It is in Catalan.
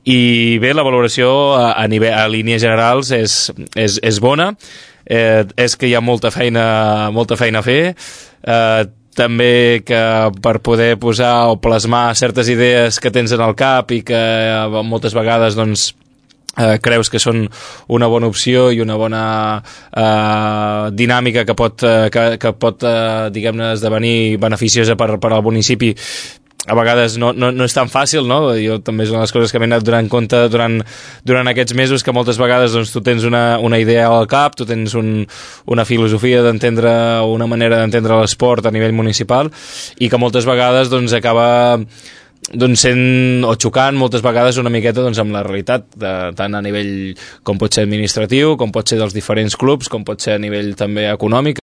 I bé, la valoració a línies generals és bona, és que hi ha molta feina a fer, també que per poder posar o plasmar certes idees que tens en el cap i que moltes vegades doncs creus que són una bona opció i una bona dinàmica que pot diguem-ne esdevenir beneficiosa per al municipi, a vegades no és tan fàcil, no? Jo també és una de les coses que m'he anat donant compte durant aquests mesos, que moltes vegades doncs, tu tens una idea al cap, tu tens una filosofia d'entendre, una manera d'entendre l'esport a nivell municipal, i que moltes vegades doncs, acaba sent o xocant moltes vegades una miqueta doncs, amb la realitat, tant a nivell com pot ser administratiu, com pot ser dels diferents clubs, com pot ser a nivell també econòmic.